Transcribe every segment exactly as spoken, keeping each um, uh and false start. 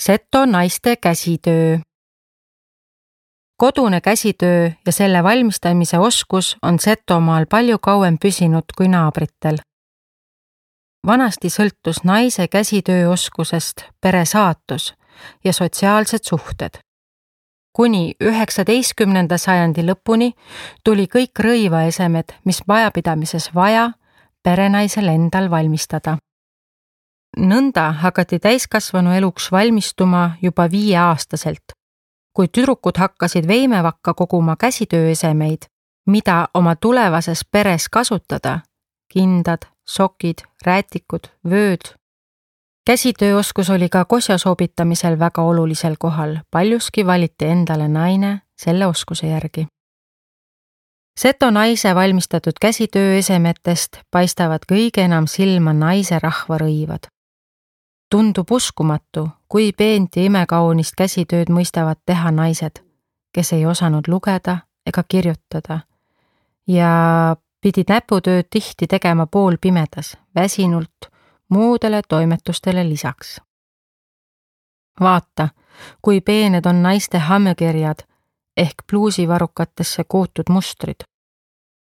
Seto naiste käsitöö. Kodune käsitöö ja selle valmistamise oskus on Setomaal palju kauem püsinud kui naabritel. Vanasti sõltus naise käsitööoskusest pere saatus ja sotsiaalsed suhted. Kuni üheksateistkümnenda sajandi lõpuni tuli kõik rõivaesemed, mis majapidamises vaja, perenaisel endal valmistada. Nõnda hakati täiskasvanu eluks valmistuma juba viieaastaselt, kui tüdrukud hakkasid veimevakka koguma käsitööesemeid, mida oma tulevases peres kasutada, kindad, sokid, räätikud, vööd. Käsitööoskus oli ka kosja soobitamisel väga olulisel kohal, paljuski valiti endale naine selle oskuse järgi. Seto naise valmistatud käsitööesemetest paistavad kõige enam silma naise rahvarõivad. Tundub uskumatu, kui peent ja imekaunist käsitööd mõistavad teha naised, kes ei osanud lugeda ega kirjutada ja pidid näputööd tihti tegema poolpimedas, väsinult, muudele toimetustele lisaks. Vaata, kui peened on naiste hammekirjad ehk pluusivarukatesse kootud mustrid.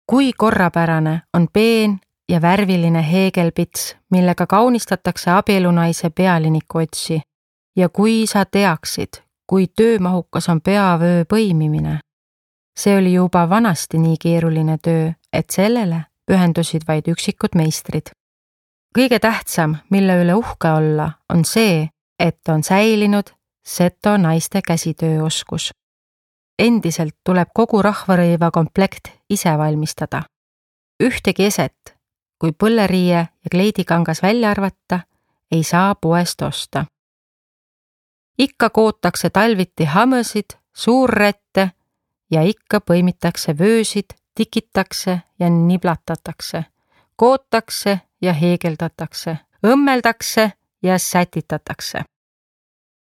Kui korrapärane on peen ja värviline heegelpits, millega kaunistatakse abielunaise pealinikuotsi ja kui sa teaksid, kui töömahukas on peavöö põimimine. See oli juba vanasti nii keeruline töö, et sellele pühendusid vaid üksikud meistrid. Kõige tähtsam, mille üle uhke olla, on see, et on säilinud Seto naiste käsitööoskus. Endiselt tuleb kogu rahvarõiva komplekt ise valmistada. Ühtegi eset, kui põlleriie ja kleidikangas välja arvata, ei saa poest osta. Ikka kootakse talviti hamõsid, suurrette ja ikka põimitakse vöösid, tikitakse ja niblatatakse, kootakse ja heegeldatakse, õmmeldakse ja sätitatakse.